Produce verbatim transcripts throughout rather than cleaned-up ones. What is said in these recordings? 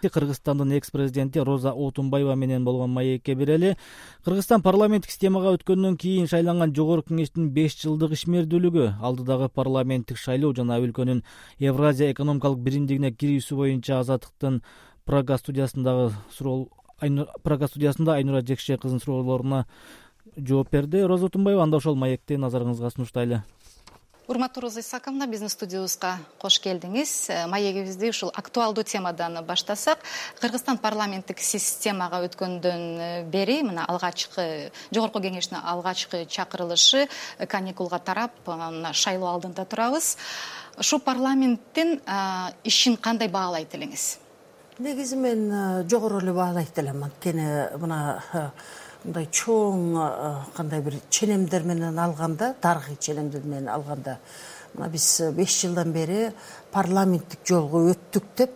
Кыргызстандын экс-президенти Роза Отунбаева менен болгон маекке берели. Кыргызстан парламенттик системага өткөндөн кийин шайланган жогорку кеңештин беш жылдык ишмердүүлүгү, алдыдагы парламенттик шайлоо жана өлкөнүн Евразия экономикалык биримдигине кирүүсү боюнча Азаттыктын Прага студиясындагы суроо Прага студиясында Айнура Жекше кызынын суроолоруна жооп берди. Роза Отунбаева, анда ошол маекти назарыңызга сунуштайлы. Урматтуу Роза Исаковна, биздин студиябызга кош келдиңиз. Маегибизди ушул актуалдуу темадан баштасак, Кыргызстан парламенттик системага өткөндөн бери мына алгачкы жогорку кеңештин алгачкы чакырылышы каникулга тарап, мына шайлоо алдында турабыз. Ушул парламенттин ишин кандай баалайт элеңиз? Негизи мен жогору эле баалайт элем. Анткени мына мындай чоң кандай бир ченемдер менен алганда, тарыхый ченемдер менен алганда, мына биз беш жылдан бери парламенттик жолго өттүк деп,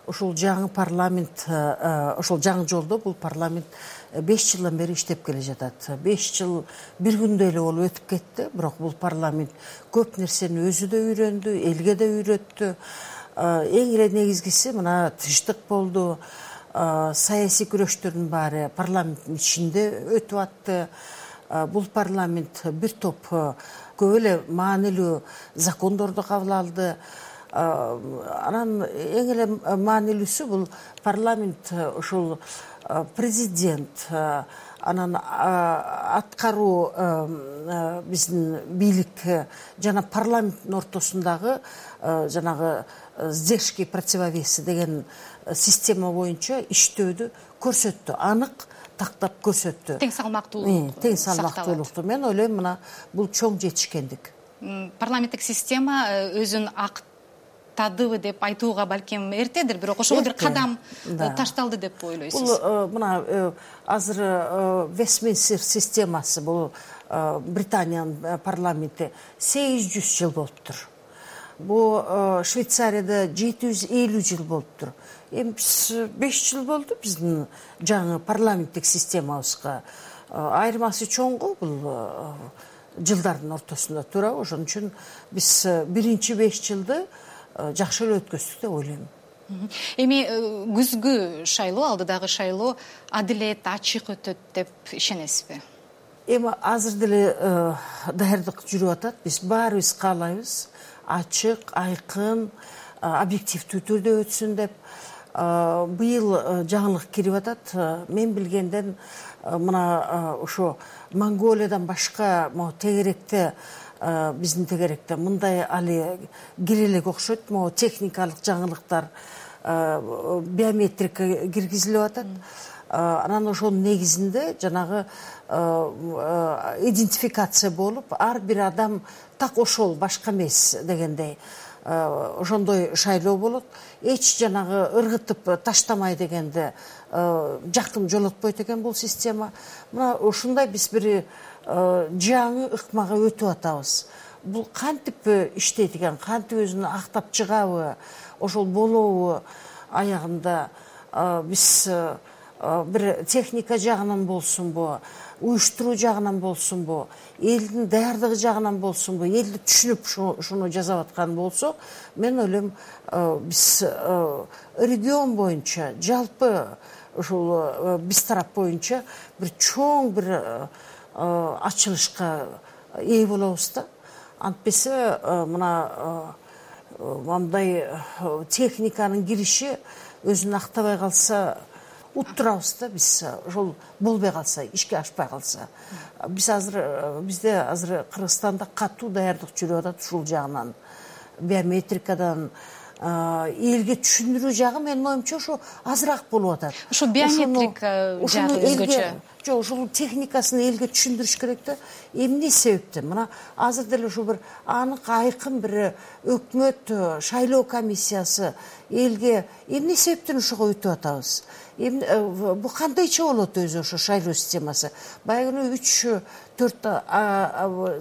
ушул жаңы парламент, ошол жаңы жолдо бул парламент беш жылдан бери иштеп келе жатат. беш жыл бир күндө эле болуп өтүп кетти, бирок бул парламент көп нерсени өзү да үйрөндү, элге да үйрөттү. Эң эле негизгиси мына тынчтык болду. Саясий күрөштөрдүн баары парламенттин ичинде өтүп атты. Бул парламент бир топ көп эле маанилүү закондорду кабыл алды. Анан эң эле маанилүүсү бул парламент ушул президент, анан аткаруу биздин бийлик жана парламенттин ортосундагы жанагы сдержки противовесы деген система боюнча иштөөдү көрсөттү, анык тактап көрсөттү. Тең салмактуулук. Тең салмактуулукту. Мен ойлойм, мына бул чоң жетишкендик. Парламенттик система өзүн актадыбы деп айтууга балким эртедир, бирок ошого бир кадам ташталды деп ойлойсуз. Бул мына азыр Вестминстер системасы, бул Британиянын парламенти сегиз жүз жыл болуптур. Бул Швейцарияда жети жүз элүү жыл болуптур. Эми беш жыл болду биздин жаңы парламенттик системабызга. Айырмасы чоң го, бул жылдардын ортосунда турабы. Ошон үчүн биз биринчи беш жылды жакшы эле өткөздүк деп ойлойм. Эми күзгү шайлоо, алдыдагы шайлоо адилет, ачык өтөт деп ишенесизби? Эми азыр деле даярдык жүрүп атат. Биз баарыбыз каалайбыз ачык, айкын, объективдүү түрдө өтсүн деп. Быйыл жаңылык кирип атат. Мен билгенден мына ошо Монголиядан башка могу тегеректе, биздин тегеректе мындай али кире элек окшойт. Могу техникалык жаңылыктар, биометрика киргизилип атат. Анан ошонун негизинде жанагы идентификация болуп, ар бир адам так ошол, башка эмес дегендей ошондой шайлоо болот. Эч жанагы ыргытып таштамай дегенде жактын жолотпойт экен бул система. Мына ушундай биз бир жаңы ыкмага өтүп атабыз. Бул кантип иштейт экен, кантип өзүн актап чыгабы, ошол болобу аягында биз бир техника жагынан болсунбу, уюштуруу жагынан болсунбу, элдин даярдыгы жагынан болсунбу, элди түшүнүп шуну жасап аткан болсо, мен ойлойм биз регион боюнча, жалпы ушул биз тарап боюнча бир чоң бир ачылышка ээ болобуз да. Антпесе мына мындай техниканын кириши өзүн актабай калса, уттурабыз да биз, ошол болбой калса, ишке ашпай калса. Биз азыр бизде азыр Кыргызстанда катуу даярдык жүрүп атат ушул жагынан. Биометрикадан элге түшүндүрүү жагы менин оюмча ошо азыраак болуп атат. Ошо биометрика жагы өзгөчө. Жок, ошол техникасын элге түшүндүрүш керек да. Эмне себептен? Мына азыр деле ушул бир анык айкын бир өкмөт шайлоо комиссиясы элге эмне себептен ошого өтүп атабыз? Бул кандайча болот өзү ошо шайлоо системасы? Баягы үч төрт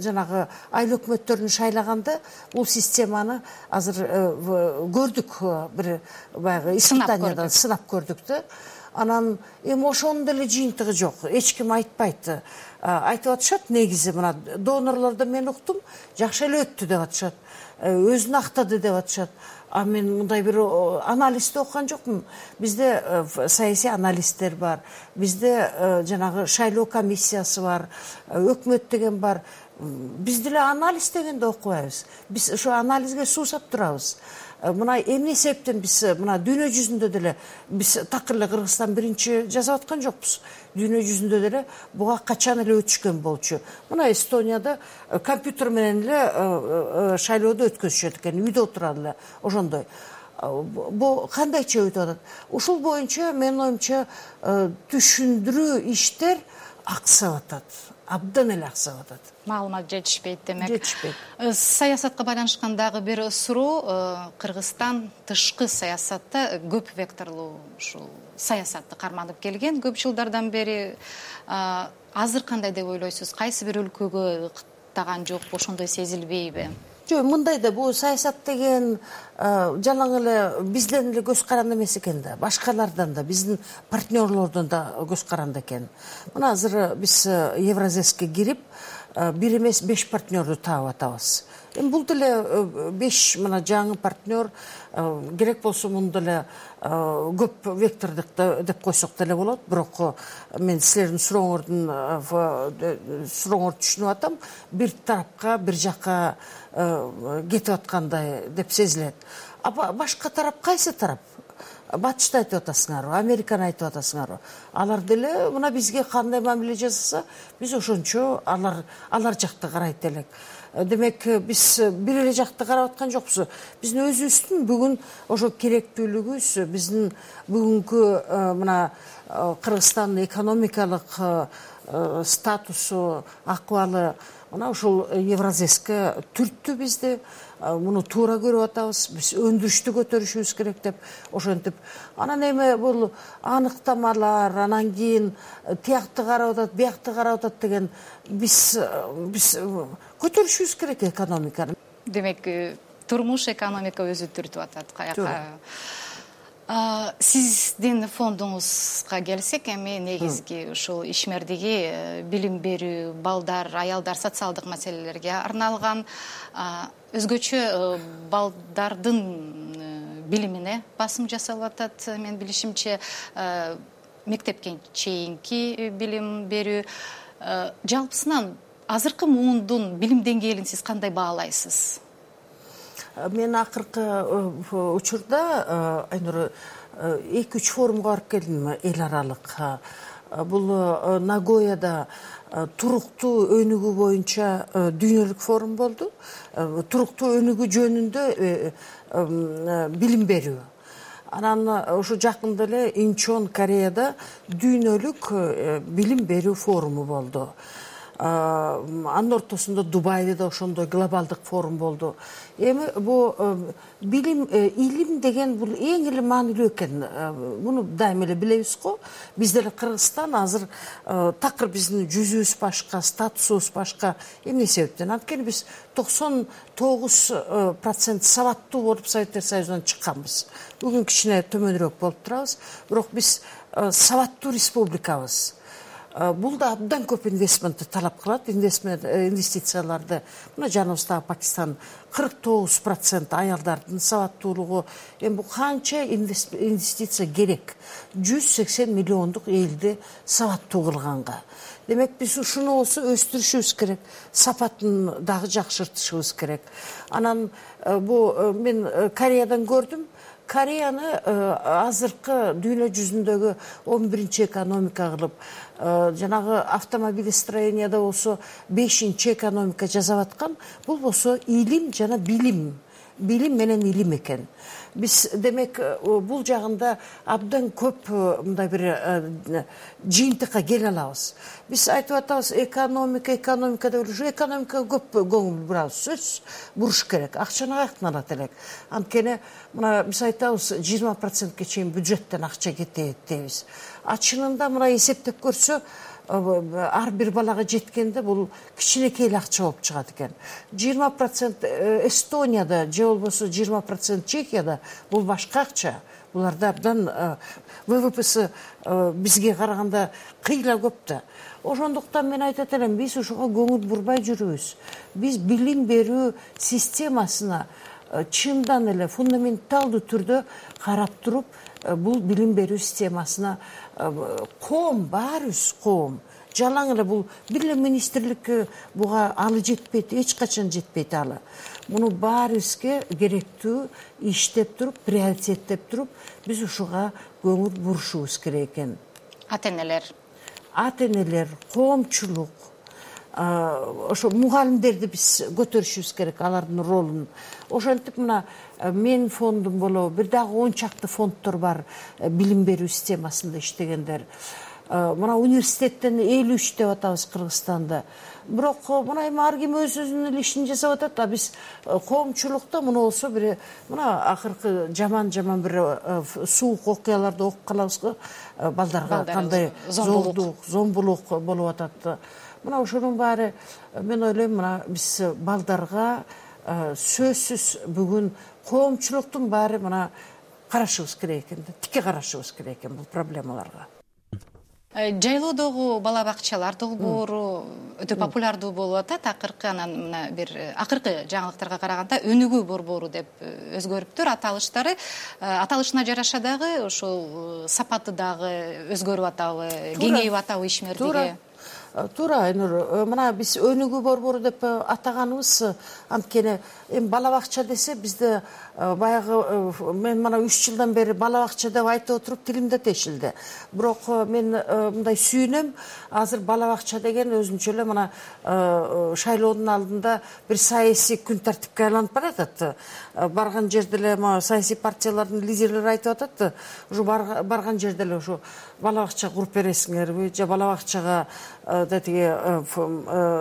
жанагы айыл өкмөттөрүн шайлаганда бул системаны азыр көрдүк, бир баягы испытаниядан сынап көрдүк да. Анан эми ошонун деле жыйынтыгы жок. Эч ким айтпайт. Айтып атышат, негизи мына донорлордо мен уктум, жакшы эле өттү деп атышат. Өзүн актады деп атышат. А мен мындай бир анализди окуган жокмун. Бизде саясий аналисттер бар, бизде жанагы шайлоо комиссиясы бар, өкмөт деген бар. Биз деле анализ дегенди окубайбыз. Биз ошо анализге суусап турабыз. Мына эмне себептен биз мына дүйнө жүзүндө деле биз такыр эле Кыргызстан биринчи жасап аткан жокпуз. Дүйнө жүзүндө деле буга качан эле өтүшкөн болчу. Мына Эстонияда компьютер менен эле шайлоодо өткөзүшөт экен, үйдө отурат эле ошондой. Бу кандайча өтүп атат? Ушул боюнча менин оюмча түшүндүрүү иштер аксап атат. Абдан эле аксап атат. Маалымат жетишпейт демек. Жетишпейт. Саясатка байланышкан дагы бир суроо. Кыргызстан тышкы саясатта көп векторлуу ушул саясатты карманып келген көп жылдардан бери. Азыр кандай деп ойлойсуз? Кайсы бир өлкөгө ыкыктаган жокпу, ошондой сезилбейби? Жок, мындай да, бул саясат деген жалаң эле бизден эле көз каранды эмес экен да, башкалардан да, биздин партнерлордон да көз каранды экен. Мына азыр биз Евразеске кирип, бир эмес беш партнерду таап атабыз. Эми бул деле беш мына жаңы партнер, керек болсо муну деле көп вектордук деп койсок деле болот. Бирок мен силердин сурооңордун сурооңорду түшүнүп атам. Бир тарапка, бир жакка кетип аткандай деп сезилет. А башка тарап кайсы тарап? Батышты айтып атасыңарбы, Американы айтып атасыңарбы? Алар деле мына бизге кандай мамиле жасаса, биз ошончо алар алар жакты карайт элек. Демек, биз бир эле жакты карап аткан жокпуз. Биздин өзүбүздүн бүгүн ошо керектүүлүгүбүз, биздин бүгүнкү мына Кыргызстандын экономикалык статусу, акыбалы мына ушул Евразеске түрттү бизди. Муну туура көрүп атабыз. Биз өндүрүштү көтөрүшүбүз керек деп ошентип. Анан эми бул аныктамалар, анан кийин тиякты карап атат, биякты карап атат деген биз биз көтөрүшүбүз керек экономиканы. Демек, турмуш, экономика өзү түртүп атат каяка. Сиздин фондуңузга келсек, эми негизги ушул ишмердиги билим берүү, балдар, аялдар, социалдык маселелерге арналган, өзгөчө балдардын билимине басым жасалып атат. Мен билишимче, мектепке чейинки билим берүү. Жалпысынан азыркы муундун билим деңгээлин сиз кандай баалайсыз? Мен акыркы учурда Айнур эки үч форумга барып келдим, эл аралык. Бул Нагояда туруктуу өнүгүү боюнча дүйнөлүк форум болду. Туруктуу өнүгүү жөнүндө билим берүү. Анан ошо жакында эле Инчон, Кореяда дүйнөлүк билим берүү форуму болду. Анын ортосунда Дубайда да ошондой глобалдык форум болду. Эми бул билим, илим деген бул эң эле маанилүү экен. Муну дайыма эле билебиз го. Биз деле Кыргызстан азыр такыр биздин жүзүбүз башка, статусубуз башка. Эмне себептен? Анткени биз токсон тогуз процент сабаттуу болуп Советтер Союзунан чыкканбыз. Бүгүн кичине төмөнүрөөк болуп турабыз. Бирок биз сабаттуу республикабыз. Бул да абдан көп инвестментти талап кылат, инвестмент инвестицияларды. Мына жаныбыздагы Пакистан кырк тогуз процент аялдардын сабаттуулугу. Эми бул канча инвестиция керек? жүз сексен миллиондук элди сабаттуу кылганга. Демек, биз ушуну болсо өстүрүшүбүз керек, сапатын дагы жакшыртышыбыз керек. Анан бу мен Кореядан көрдүм. Кореяны азыркы дүйнө жүзүндөгү он биринчи экономика кылып, жанагы автомобилестроенияда болсо бешинчи экономика жасап аткан. Бул болсо илим жана билим. Билим менен илим экен. Биз демек бул жагында абдан көп мындай бир жыйынтыкка келе алабыз. Биз айтып атабыз экономика, экономика деп ушу экономикага көп көңүл бурабыз. Сөз буруш керек. Акчаны каяктан алат элек? Анткени мына биз айтабыз жыйырма процентке чейин бюджеттен акча кетет дейбиз. А чынында мына эсептеп көрсө, ар бир балага жеткенде бул кичинекей эле акча болуп чыгат экен. жыйырма процент Эстонияда же болбосо жыйырма процент Чехияда бул башка акча. Буларда абдан ВВПсы бизге караганда кыйла көп да. Ошондуктан мен айтат элем, биз ошого көңүл бурбай жүрүбүз. Биз билим берүү системасына чындан эле фундаменталдуу түрдө карап туруп бул билим берүү системасына коом, баарыбыз коом жалаң эле бул бир эле министрлик буга алы жетпейт, эч качан жетпейт алы. Муну баарыбызга керектүү иштеп туруп, приоритеттеп туруп, биз ушуга көңүл бурушубуз керек экен. Ата-энелер, ата-энелер, коомчулук, ошо мугалимдерди биз көтөрүшүбүз керек, алардын ролун. Ошентип мына мен фондум болобу, бир дагы он чакты фонддор бар билим берүү системасында иштегендер. Мына университеттен элүү үч деп атабыз Кыргызстанда. Бирок мына эми ар ким өз өзүнүн ишин жасап атат, а биз коомчулукта муну болсо бир мына акыркы жаман-жаман бир суук окуяларды окуп калабыз го, балдарга кандай зордук, зомбулук болуп атат. Мына ошонун баары мен ойлойм, мына биз балдарга сөзсүз бүгүн коомчулуктун баары мына карашыбыз керек экен, тике карашыбыз керек экен бул проблемаларга. Жайлоодогу бала бакчалар долбоору өтө популярдуу болуп атат. Акыркы анан мына бир акыркы жаңылыктарга караганда өнүгүү борбору деп өзгөрүптүр аталыштары. Аталышына жараша дагы ошол сапаты дагы өзгөрүп атабы, кеңейип атабы ишмердиги? Туура, Айнур. Мына биз өнүгүү борбору деп атаганыбыз анткени эми бала бакча десе бизде баягы мен мына үч жылдан бери бала бакча деп айтып отуруп тилимде тешилди. Бирок мен мындай сүйүнөм, азыр бала бакча деген өзүнчө эле мына шайлоонун алдында бир саясий күн тартипке айланып баратат. Барган жерде эле саясий партиялардын лидерлери айтып атат, ушу барган жерде эле ушу бала бакча куруп бересиңерби же бала бакчага тиги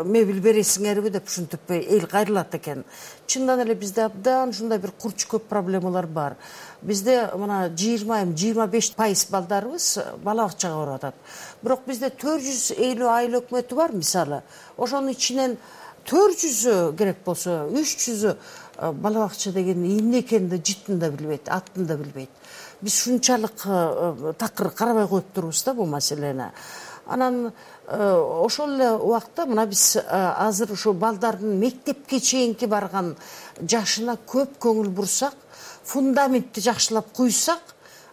мебель бересиңерби деп ушинтип эл кайрылат экен. Чындан эле бизде абдан ушундай бир курч көп проблемалар бар. Бизде мына жыйырма жыйырма беш пайыз балдарыбыз бала бакчага барып атат. Бирок бизде төрт жүз элүү айыл өкмөтү бар мисалы. Ошонун ичинен төрт жүзү керек болсо үч жүзү бала бакча деген эмне экенин да жытын да билбейт, атын да билбейт. Биз ушунчалык такыр карабай коюп турубуз да бул маселени. Анан ошол эле убакта мына биз азыр ушу балдардын мектепке чейинки барган жашына көп көңүл бурсак, фундаментти жакшылап куйсак,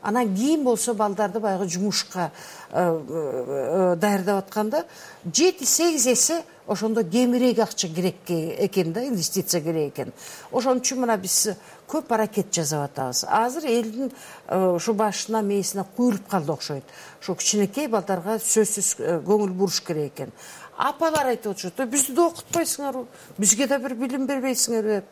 анан кийин болсо балдарды баягы жумушка даярдап атканда жети сегиз эсе ошондо кемирээк акча керек экен да, инвестиция керек экен. Ошон үчүн мына биз көп аракет жасап атабыз. Азыр элдин ушу башына мээсине куюлуп калды окшойт. Ошо кичинекей балдарга сөзсүз көңүл буруш керек экен. Апалар айтып отурушат, бизди да окутпайсыңарбы, бизге да бир билим бербейсиңерби деп.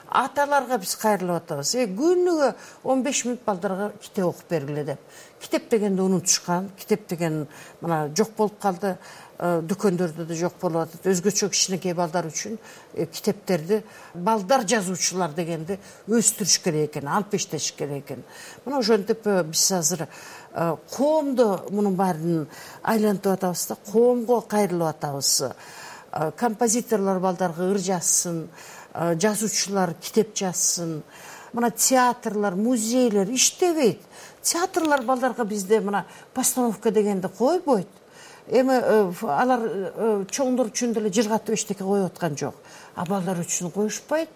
Аталарга биз кайрылып атабыз. Э күнүгө он беш мүнөт балдарга китеп окуп бергиле деп. Китеп дегенди унутушкан, китеп деген мына жок болуп калды. Дүкөндөрдө да жок болуп атат. Өзгөчө кичинекей балдар үчүн китептерди балдар жазуучулар дегенди өстүрүш керек экен, алып иштеш керек экен. Мына ошентип биз азыр коомду мунун баарын айлантып атабыз да, коомго кайрылып атабыз. Композиторлор балдарга ыр жазсын, жазуучулар китеп жазсын. Мына театрлар, музейлер иштебейт. Театрлар балдарга бизде мына постановка дегенди койбойт. Эми алар чоңдор үчүн деле жыргатып эчтеке коюп аткан жок. А балдар үчүн коюшпайт.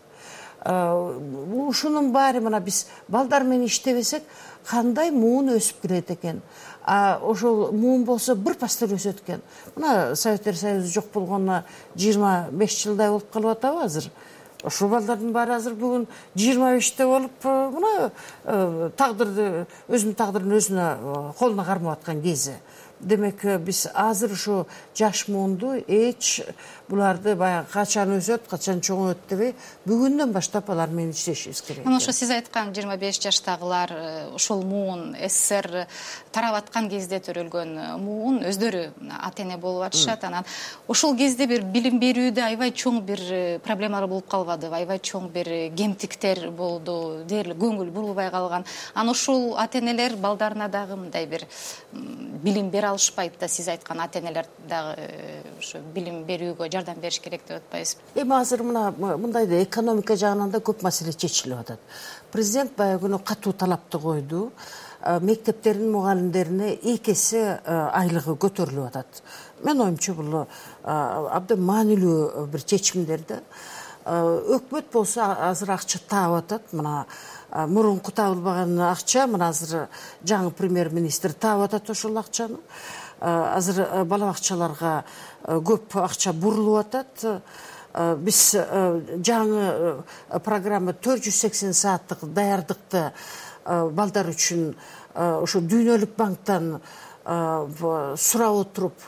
Ушунун баары мына биз балдар менен иштебесек, кандай муун өсүп келет экен. А ошол муун болсо бир пастор өсөт экен. Мына Советтер Союзу жок болгонуна жыйырма беш жылдай болуп калып атабы азыр. Ошол балдардын баары азыр бүгүн жыйырма беште болуп, мына тагдырды, өзүнүн тагдырын өзүнө колуна кармап аткан кези. Демек биз азыр ушу жаш муунду эч буларды баягы качан өсөт, качан чоңойт дебей, бүгүндөн баштап алар менен иштешибиз керек. Мына ошо сиз айткан жыйырма беш жаштагылар ошол муун СССР тарап аткан кезде төрөлгөн муун өздөрү ата-эне болуп атышат. Анан ошол кезде бир билим берүүдө аябай чоң бир проблемалар болуп калбадыбы, аябай чоң бир кемтиктер болду, дээрлик көңүл бурулбай калган. Анан ошол ата-энелер балдарына дагы мындай бир билим бере алышпайт да, сиз айткан ата-энелер дагы ошо билим берүүгө жардам бериш керек деп атпайсызбы? Эми азыр мына мындай да экономика жагынан да көп маселе чечилип атат. Президент баягы күнү катуу талапты койду. Мектептердин мугалимдерине эки эсе айлыгы көтөрүлүп атат. Мен оюмча бул абдан маанилүү бир чечимдер да. өкмөт болсо азыр акча таап атат. Мына мурунку табылбаган акча мына азыр жаңы премьер-министр таап атат ошол акчаны. Азыр бала бакчаларга көп акча бурулуп атат. Биз жаңы программа төрт жүз сексен сааттык даярдыкты балдар үчүн ошо Дүйнөлүк банктан сурап отуруп,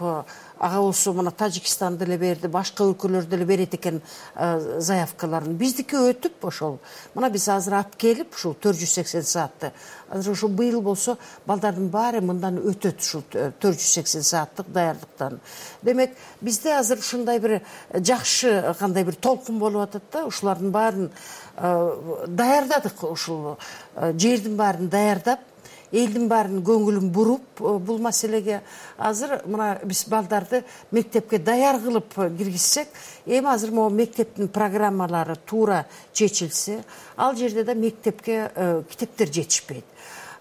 ага болсо мына Тажикстан деле берди, башка өлкөлөр деле берет экен заявкаларын. Биздики өтүп ошол. Мына биз азыр алып келип ушул төрт жүз сексен саатты. Азыр ошо быйыл болсо балдардын баары мындан өтөт ушул төрт жүз сексен сааттык даярдыктан. Демек, бизде азыр ушундай бир жакшы кандай бир толкун болуп атат да, ушулардын баарын даярдадык, ушул жердин баарын даярдап, элдин баарын көңүлүн буруп бул маселеге. Азыр мына биз балдарды мектепке даяр кылып киргизсек, эми азыр могу мектептин программалары туура чечилсе, ал жерде да мектепке китептер жетишпейт.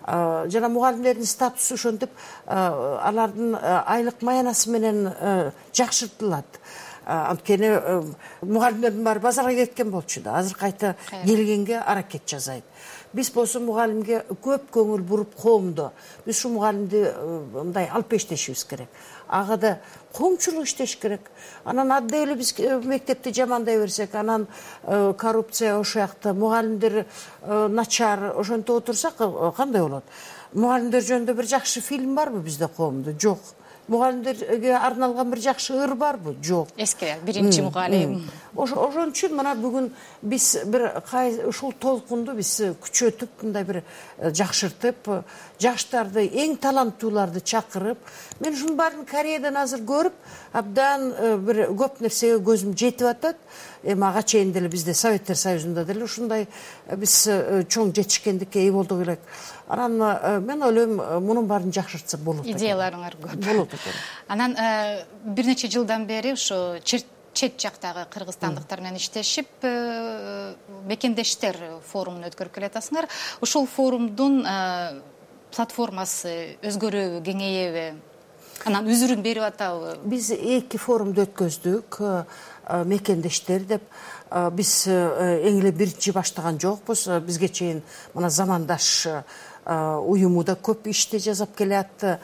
Жана мугалимдердин статусу ошентип алардын айлык маянасы менен жакшыртылат. Анткени мугалимдердин баары базарга кеткен болчу да, азыр кайта келгенге аракет жасайт. Биз болсо мугалимге көп көңүл буруп коомдо биз ушу мугалимди мындай алып эштешибиз керек. Ага да коомчулук иштеш керек. Анан анда эле биз мектепти жамандай берсек, анан коррупция ошол жакта, мугалимдер начар ошентип отурсак кандай болот? Мугалимдер жөнүндө бир жакшы фильм барбы бизде коомдо? Жок. Мугалимдерге арналган бир жакшы ыр барбы? Жок. Эски биринчи мугалим. Ошон үчүн мына бүгүн биз бир ушул толкунду биз күчөтүп, мындай бир жакшыртып, жаштарды, эң таланттууларды чакырып, мен ушунун баарын Кореядан азыр көрүп, абдан бир көп нерсеге көзүм жетип атат. Эми ага чейин деле бизде Советтер Союзунда деле ушундай биз чоң жетишкендикке ээ болдук элек. Анан мен ойлойм, мунун баарын жакшыртса болот. Идеяларыңар көп. Болот экен. Анан бир нече жылдан бери ушу чет жактагы кыргызстандыктар менен иштешип, мекендештер форумун өткөрүп келатасыңар. Ушул форумдун платформасы өзгөрөбү, кеңейеби? Анан үзүрүн берип атабы? Биз эки форумду өткөздүк, мекендештер деп. Биз эң эле биринчи баштаган жокпуз. Бизге чейин мына замандаш уюму да көп ишти жасап келатты.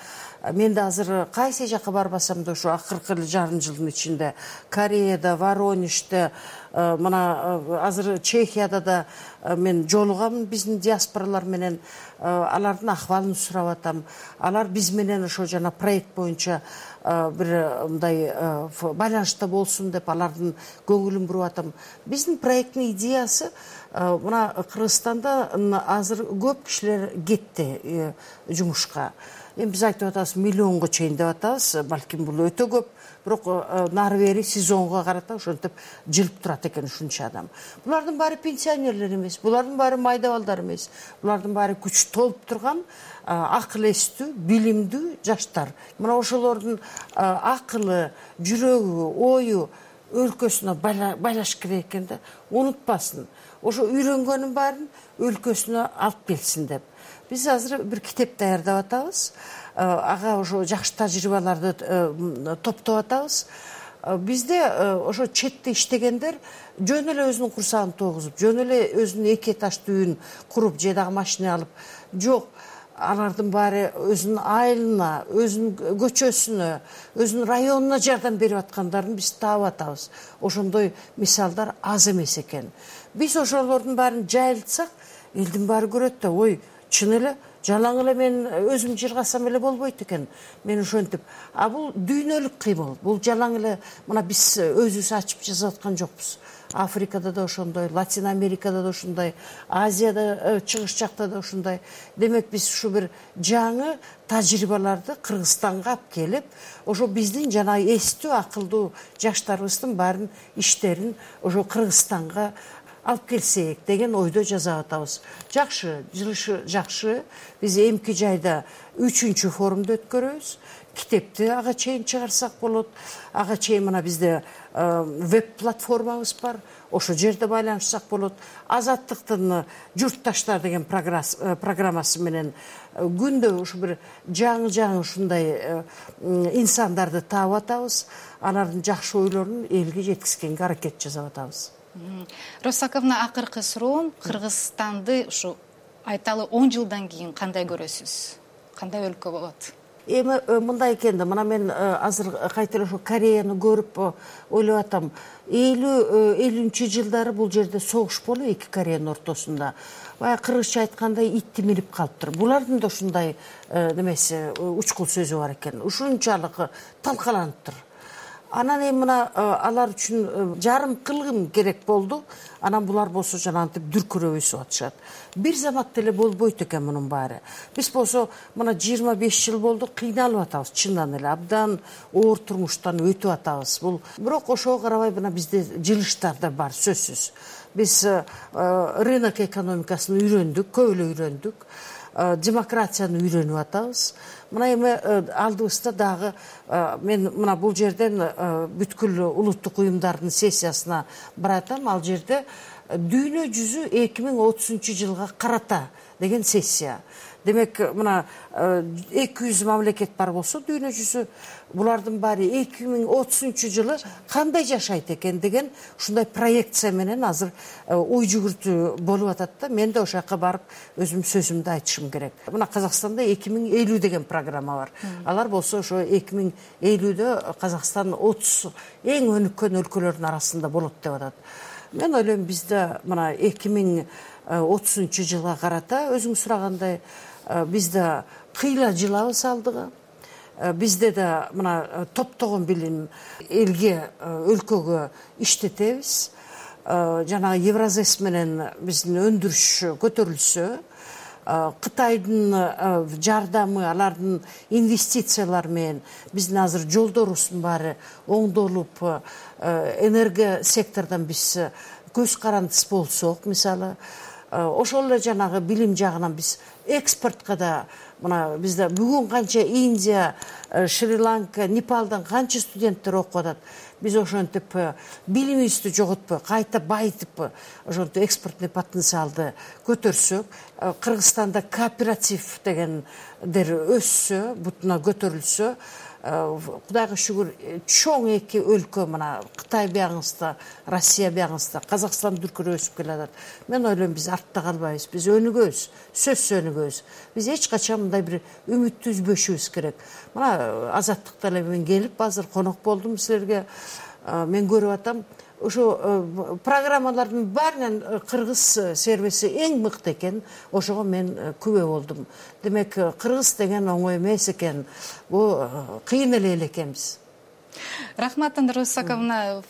Мен да азыр кайсы жака барбасам да ушу акыркы жарым жылдын ичинде Кореяда, Воронежде, мына азыр Чехияда да мен жолугам биздин диаспоралар менен, алардын акыбалын сурап атам. Алар биз менен ошо жана проект боюнча бир мындай байланышта болсун деп алардын көңүлүн буруп атам. Биздин проекттин идеясы мына Кыргызстанда азыр көп кишилер кетти жумушка. Эми биз айтып атабыз миллионго чейин деп атабыз, балким бул өтө көп, бирок нары бери сезонго карата ошентип жылып турат экен ушунча адам. Булардын баары пенсионерлер эмес, булардын баары майда балдар эмес, булардын баары күч толуп турган акыл эстүү, билимдүү жаштар. Мына ошолордун акылы, жүрөгү, ою өлкөсүнө байлаш керек экен да, унутпасын. Ошо үйрөнгөнүн баарын өлкөсүнө алып келсин деп. Биз азыр бир китеп даярдап атабыз. Ага ошо жакшы тажрыйбаларды топтоп атабыз. Бизде ошо четте иштегендер жөн эле өзүнүн курсагын тогузуп, жөн эле өзүнүн эки этаждуу үйүн куруп, же дагы машина алып, жок. Алардын баары өзүнүн айылына, өзүнүн көчөсүнө, өзүнүн районуна жардам берип аткандарын биз таап атабыз. Ошондой мисалдар аз эмес экен. Биз ошолордун баарын жайылтсак, элдин баары көрөт да, ой, чын эле жалаң эле мен өзүм жыргасам эле болбойт экен. Мен ошентип, а бул дүйнөлүк кыймыл. Бул жалаң эле мына биз өзүбүз ачып жасап аткан жокпуз. Африкада да ошондой, Латин Америкада да ошондой, Азияда, чыгыш жакта да ошондой. Демек биз ушу бир жаңы тажрыйбаларды Кыргызстанга алып келип, ошо биздин жана эстүү, акылдуу жаштарыбыздын баарын иштерин ошо Кыргызстанга алып келсек деген ойдо жасап атабыз. Жакшы, жылышы жакшы. Биз эмки жайда үчүнчү форумду өткөрөбүз. Китепти ага чейин чыгарсак болот. Ага чейин мына бизде веб-платформабыз бар. Ошол жерде байланышсак болот. Азаттыктын журтташтар деген программасы менен күндө ушу бир жаңы-жаңы ушундай инсандарды таап атабыз. Алардын жакшы ойлорун элге жеткизгенге аракет жасап атабыз. Роза акыркы суроом, Кыргызстанды ушу айталы он жылдан кийин кандай көрөсүз? Кандай өлкө болот? Эми мындай экен да, мына мен азыр кайта эле ошо Кореяны көрүп ойлоп атам. элүү элүүнчү жылдары бул жерде согуш болуп, эки Кореянын ортосунда. Баягы кыргызча айткандай итти минип калыптыр. Булардын да ушундай немеси, учкул сөзү бар экен. Ушунчалык талкаланыптыр. Анан эми мына алар үчүн жарым кылгым керек болду. Анан булар болсо жанагынтип дүркүрөбүсүп атышат. Бир замат деле болбойт экен мунун баары. Биз болсо мына жыйырма беш жыл болду кыйналып атабыз, чындан эле абдан оор турмуштан өтүп атабыз. Бул бирок ошого карабай мына бизде жылыштар да бар, сөзсүз. Биз рынок экономикасын үйрөндүк, көп эле үйрөндүк. Демократияны үйрөнүп атабыз. Мына эми алдыбызда дагы мен мына бул жерден бүткүл улуттук уюмдардын сессиясына баратам. Ал жерде дүйнө жүзү эки миң отузунчу жылга карата деген сессия. Демек мына эки жүз мамлекет бар болсо дүйнө жүзү, булардын баары эки миң отузунчу жылы кандай жашайт экен деген ушундай проекция менен азыр ой жүгүртүү болуп атат да. Мен да ошол жака барып өзүм сөзүмдү айтышым керек. Мына Казакстанда эки миң элүү деген программа бар. Алар болсо ошо эки миң элүүдө Казакстан отуз эң өнүккөн өлкөлөрдүн арасында болот деп атат. Мен ойлойм бизде мына эки миң отузунчу жылга карата өзүң сурагандай бизде кыйла жылабыз алдыга. Бизде да мына топтогон билим элге, өлкөгө иштетебиз. Жанагы Евразес менен биздин өндүрүш көтөрүлсө, Кытайдын жардамы, алардын инвестициялары менен биздин азыр жолдорубуздун баары оңдолуп, энерго сектордон биз көз карандыс болсок, мисалы, ошол эле жанагы билим жагынан биз экспортко да мына бизде бүгүн канча Индия, Шри-Ланка, Непалдан канча студенттер окуп атат. Биз ошентип билимибизди жоготпой, кайта байытып, ошентип экспортный потенциалды көтөрсөк, Кыргызстанда кооператив дегендер өссө, бутуна көтөрүлсө, Кудайга шүгүр, чоң эки өлкө мына Кытай бияңызда, Россия бияңызда, Казакстан дүркүрөп өсүп келатат. Мен ойлойм биз артта калбайбыз, биз өнүгөбүз, сөзсүз өнүгөбүз. Биз эч качан мындай бир үмүттү үзбөшүбүз керек. Мына Азаттыкта эле мен келип азыр конок болдум силерге. Мен көрүп атам, ошо программалардын баарынан кыргыз сервиси эң мыкты экен. Ошого мен күбө болдум. Демек кыргыз деген оңой эмес экен. Бул кыйын эле эл экенбиз. Рахмат, Роза Саковна,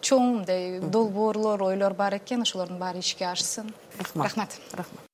чоң долбоорлор, ойлор бар экен, ошолордун баары ишке ашсын. Рахмат. Рахмат. Рахмат.